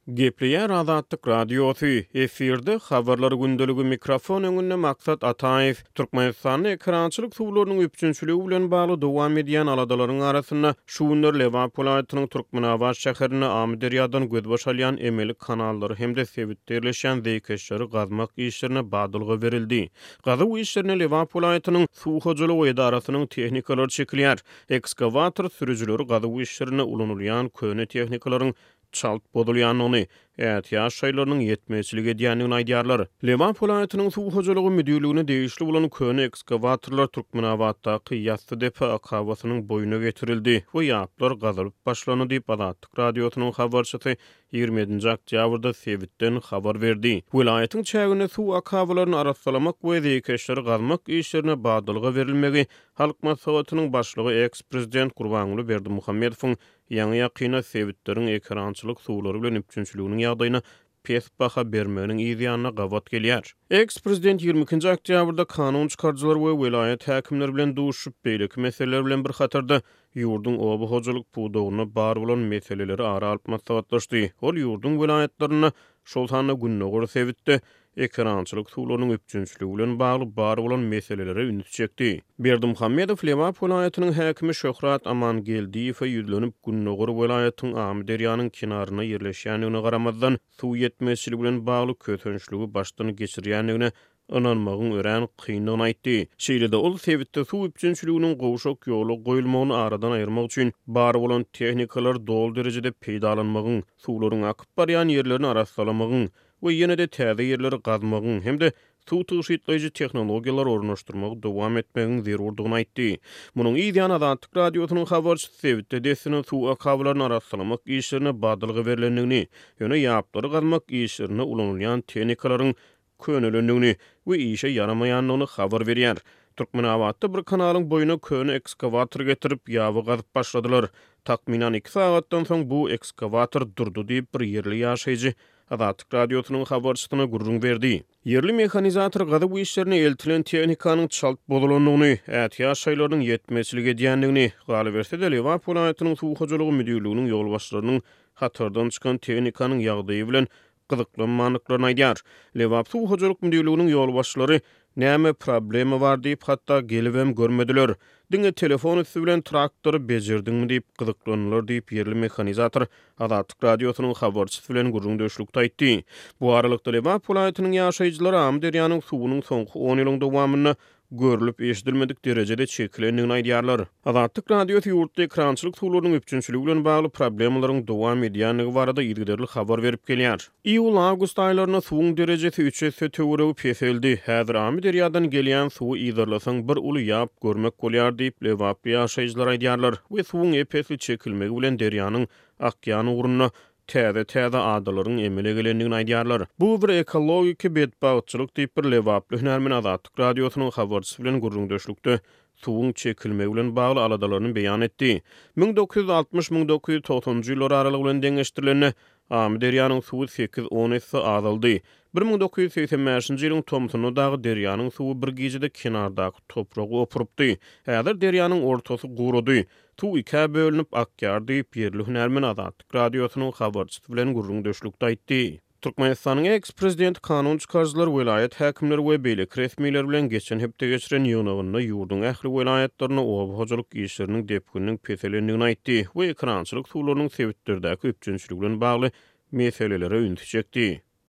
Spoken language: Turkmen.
Gepleýär Azatlyk Radiosy, efirde Habarlar gündeligi mikrofon öňünde Maksat Ataýew. Türkmenistanda ekerançylyk suwlarynyň üpjünçiligi bilen bagly dowam edýän aladalaryň arasynda, şu günler Lebap welaýatynyň Türkmenabat şäherinde Amyderýadan gözbaş alýan emeli kanallary hem-de sebitde ýerleşýän zeýkeşleri gazmak işlerine badalga berildi. Gazuw işlerine Lebap welaýatynyň Suw hojalygy edarasynyň tehnikalary çekilýär. Ekskawator sürüjileri gazuw işlerinde ulanylýan köne tehnikalaryň çalt bozulýandygyny, ätiýaç şaýlarynyň ýetmezçilik edýändigini aýdýarlar. Lebap welaýatynyň suw hojalygy müdirligine degişli bolan köne ekskawatorlar Türkmenabatdaky Ýassydepe akabasynyň boýuna getirildi we ýaplar gazylyp başlandy diýip, Azatlyk Radiosynyň habarçysy 27-nji oktýabrda sebitden habar berdi. Welaýatyň çäginde suw akabalaryny arassalamak we zeýkeşleri gazmak işlerine badalga berilmegi Halk Maslahatynyň Başlygy, eks-prezident Gurbanguly Berdimuhamedowyň Ýaňy-ýakynda sebitleriň ekerançylyk suwlary bilen üpjünçiliginiň ýagdaýyna pes baha bermeginiň yz ýanyna gabat gelýär. Eks-prezident 22-nji oktýabrda kanun çykaryjylar we welaýat häkimleri bilen duşuşyp, beýleki meseleler bilen bir hatarda, ýurduň oba hojalyk pudagynda bar bolan meseleleri ara alyp maslahatlaşdy. Ol ýurduň welaýatlarynda, şol sanda gündogar sebitde ekerançylyk suwlarynyň üpjünçiligi bilen bagly bar bolan meselelere ünsi çekdi. Berdimuhamedow Lebap welaýatynyň häkimi Şöhrat Amangeldiýewe ýüzlenip, gündogar welaýatyň Amyderýanyň kenarynda ýerleşýändigine garamazdan, suw ýetmezçiligi bilen bagly kösençligi başdan geçirýändigine ynanmagyň örän kyndygyny aýtdy. Şeýle-de ol sebitde suw üpjünçiliginiň gowşak ýola goýulmagyny aradan aýyrmak üçin bar bolan tehnikalary doly derejede peýdalanmagyň, suwlaryň akyp barýan ýerlerini arassalamagyň, we ýene-de täze ýerleri gazmagyň hem-de suw tygşytlaýjy tehnologiýalary ornaşdyrmagy dowam etmegiň zerurdygyny aýtdy. Munuň yz ýany Azatlyk Radiosynyň habarçysy sebitde dessine suw akabalaryny arassalamak işlerine badalga berlendigini, ýöne ýaplary gazmak işlerinde ulanylýan tehnikalaryň könelendigini we işe ýaramaýandygyny habar berýär. Türkmenabatda bir kanalyň boýuna köne ekskawator getirip, ýaby gazyp başladylar. Takmynan iki sagatdan soň bu ekskawator durdy diýip, bir ýerli ýaşaýjy Azatlyk Radiosynyň habarçysyna gürrüň berdi. Ýerli mehanizator gazuw işlerine eltilen tehnikanyň çalt bozulandygyny, ätiýaç şaýlarynyň ýetmezçilik edýändigini, galyberse-de, Lebap welaýatynyň suw hojalygy müdirliginiň ýolbaşçylarynyň hatardan çykan tehnikanyň ýagdaýy bilen gyzyklanmandyklaryny aýdýar. Lebap suw hojalyk müdirliginiň ýolbaşçylary näme problema bar diýip, hatda gelibem görmediler. Diňe telefon üsti bilen traktory bejerdiňmi diýip gyzyklandylar diýip, ýerli mehanizator Azatlyk Radiosynyň habarçysy bilen gürrüňdeşlikde aýtdy. Bu aralykda, Lebap welaýatynyň ýaşaýjylary Amyderýanyň suwunyň soňky on ýylyň dowamynda görlüp-eşidilmedik derejede çekilendigini aýdýarlar. Azatlyk Radiosy ýurtda ekrançylyk suwlarynyň üpjünçiligi bilen bagly problemalaryň dowam edýändigi barada yzygiderli habar berip gelýär. Iýul-awgust aýlarynda suwuň derejesi üç esse töweregi peseldi. Häzir Amyderýadan gelýän suwy yzarlasaň bir uly ýap görmek bolýar diýip, lebaply ýaşaýjylar aýdýarlar we suwuň ep-esli çekilmegi bilen derýanyň akýan ugrunda täze-täze adalaryň emele gelendigini aýdýarlar. Bu bir ekologiki betbagtçylyk diýip, bir lebaply hünärmen Azatlyk Radiosynyň habarçysy bilen gürrüňdeşlikde suwuň çekilmegi bilen bagly aladalaryny beýan etdi. 1960, 1990-njy ýyllar aralygy bilen deňeşdirilende, Amyderýanyň suwy sekiz-on esse azaldy. 1985-nji ýylyň tomsunda dagy derýanyň suwy bir gijede kenardaky topragy opurypdy. Häzir derýanyň ortasy gurady. Suw ikä bölünip akýar diýip, ýerli hünärmen Azatlyk Radiosynyň habarçysy bilen gürrüňdeşlikde aýtdy. Türkmenistanyň eks-prezidenti kanun çykaryjylar, welaýat häkimleri we beýleki resmiler bilen geçen hepde geçiren ýygnagynda ýurduň ähli welaýatlarynda oba hojalyk işleriniň depgininiň peselendigini aýtdy we ekerançylyk suwlarynyň sebitlerdäki üpjünçiligi bilen bagly meselelere ünsi çekdi.